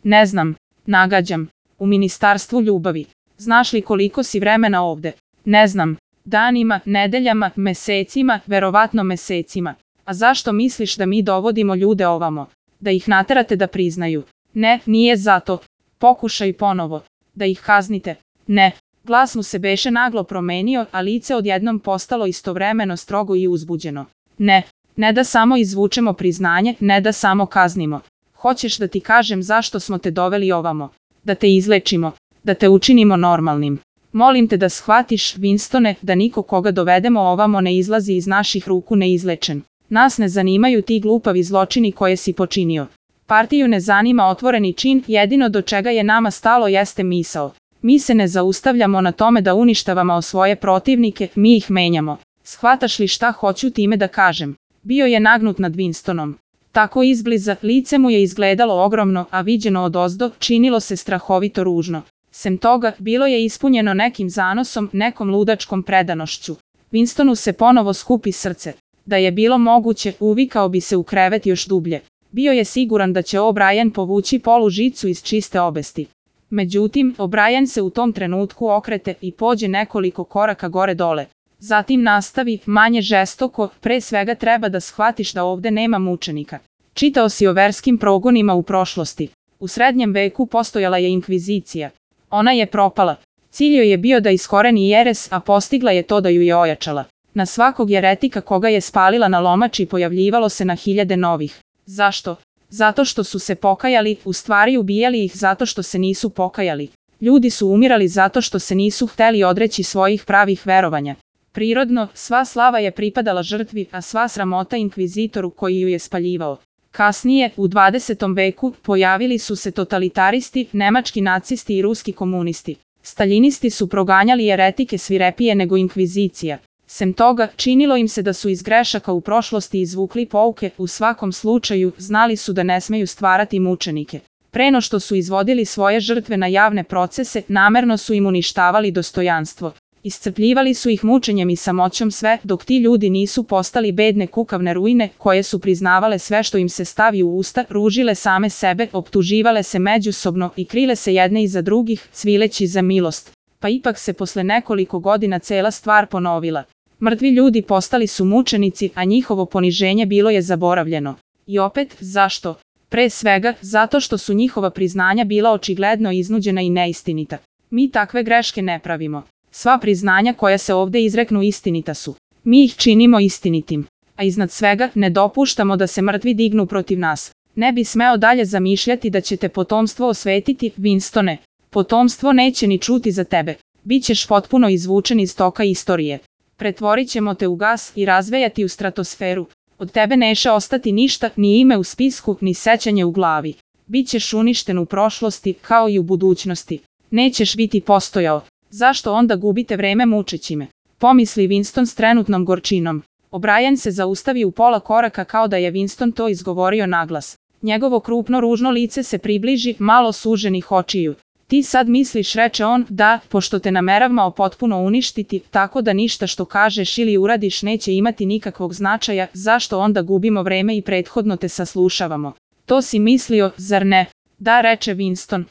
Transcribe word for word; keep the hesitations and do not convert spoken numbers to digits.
Ne znam, nagađam. U ministarstvu ljubavi. Znaš li koliko si vremena ovde? Ne znam. Danima, nedeljama, mesecima, verovatno mesecima. A zašto misliš da mi dovodimo ljude ovamo? Da ih naterate da priznaju? Ne, nije zato. Pokušaj ponovo. Da ih kaznite? Ne. Glas mu se beše naglo promenio, a lice odjednom postalo istovremeno strogo i uzbuđeno. Ne. Ne da samo izvučemo priznanje, ne da samo kaznimo. Hoćeš da ti kažem zašto smo te doveli ovamo? Da te izlečimo. Da te učinimo normalnim. Molim te da shvatiš, Winstone, da niko koga dovedemo ovamo ne izlazi iz naših ruku neizlečen. Nas ne zanimaju ti glupavi zločini koje si počinio. Partiju ne zanima otvoreni čin, jedino do čega je nama stalo jeste misao. Mi se ne zaustavljamo na tome da uništavamo svoje protivnike, mi ih menjamo. Shvataš li šta hoću time da kažem? Bio je nagnut nad Winstonom. Tako izbliza, lice mu je izgledalo ogromno, a viđeno odozdo, činilo se strahovito ružno. Sem toga, bilo je ispunjeno nekim zanosom, nekom ludačkom predanošću. Winstonu se ponovo skupi srce. Da je bilo moguće, uvikao bi se u krevet još dublje. Bio je siguran da će O'Brien povući polu žicu iz čiste obesti. Međutim, O'Brien se u tom trenutku okrete i pođe nekoliko koraka gore dole. Zatim nastavi, manje žestoko, pre svega treba da shvatiš da ovde nema mučenika. Čitao si o verskim progonima u prošlosti. U srednjem veku postojala je inkvizicija. Ona je propala. Cilj joj je bio da iskoreni jeres, a postigla je to da ju je ojačala. Na svakog jeretika koga je spalila na lomači pojavljivalo se na hiljade novih. Zašto? Zato što su se pokajali, u stvari ubijali ih zato što se nisu pokajali. Ljudi su umirali zato što se nisu hteli odreći svojih pravih verovanja. Prirodno, sva slava je pripadala žrtvi, a sva sramota inkvizitoru koji ju je spaljivao. Kasnije, u dvadesetom veku, pojavili su se totalitaristi, nemački nacisti i ruski komunisti. Staljinisti su proganjali jeretike svirepije nego inkvizicija. Sem toga, činilo im se da su iz grešaka u prošlosti izvukli pouke, u svakom slučaju, znali su da ne smeju stvarati mučenike. Preno što su izvodili svoje žrtve na javne procese, namerno su im uništavali dostojanstvo. Iscrpljivali su ih mučenjem i samoćom sve, dok ti ljudi nisu postali bedne kukavne ruine, koje su priznavale sve što im se stavi u usta, ružile same sebe, optuživale se međusobno i krile se jedne iza drugih, cvileći za milost. Pa ipak se posle nekoliko godina cela stvar ponovila. Mrtvi ljudi postali su mučenici, a njihovo poniženje bilo je zaboravljeno. I opet, zašto? Pre svega, zato što su njihova priznanja bila očigledno iznuđena i neistinita. Mi takve greške ne pravimo. Sva priznanja koja se ovde izreknu istinita su. Mi ih činimo istinitim. A iznad svega, ne dopuštamo da se mrtvi dignu protiv nas. Ne bi smeo dalje zamišljati da će te potomstvo osvetiti, Winstone. Potomstvo neće ni čuti za tebe. Bićeš potpuno izvučen iz toka istorije. Pretvorit ćemo te u gas i razvejati u stratosferu. Od tebe neće ostati ništa, ni ime u spisku, ni sećanje u glavi. Bićeš uništen u prošlosti, kao i u budućnosti. Nećeš biti postojao. Zašto onda gubite vreme mučeći me? Pomisli Winston s trenutnom gorčinom. O'Brien se zaustavi u pola koraka kao da je Winston to izgovorio naglas. Njegovo krupno ružno lice se približi, malo suženih očiju. Ti sad misliš, reče on, da, pošto te nameravamo potpuno uništiti, tako da ništa što kažeš ili uradiš neće imati nikakvog značaja, zašto onda gubimo vreme i prethodno te saslušavamo? To si mislio, zar ne? Da, reče Winston.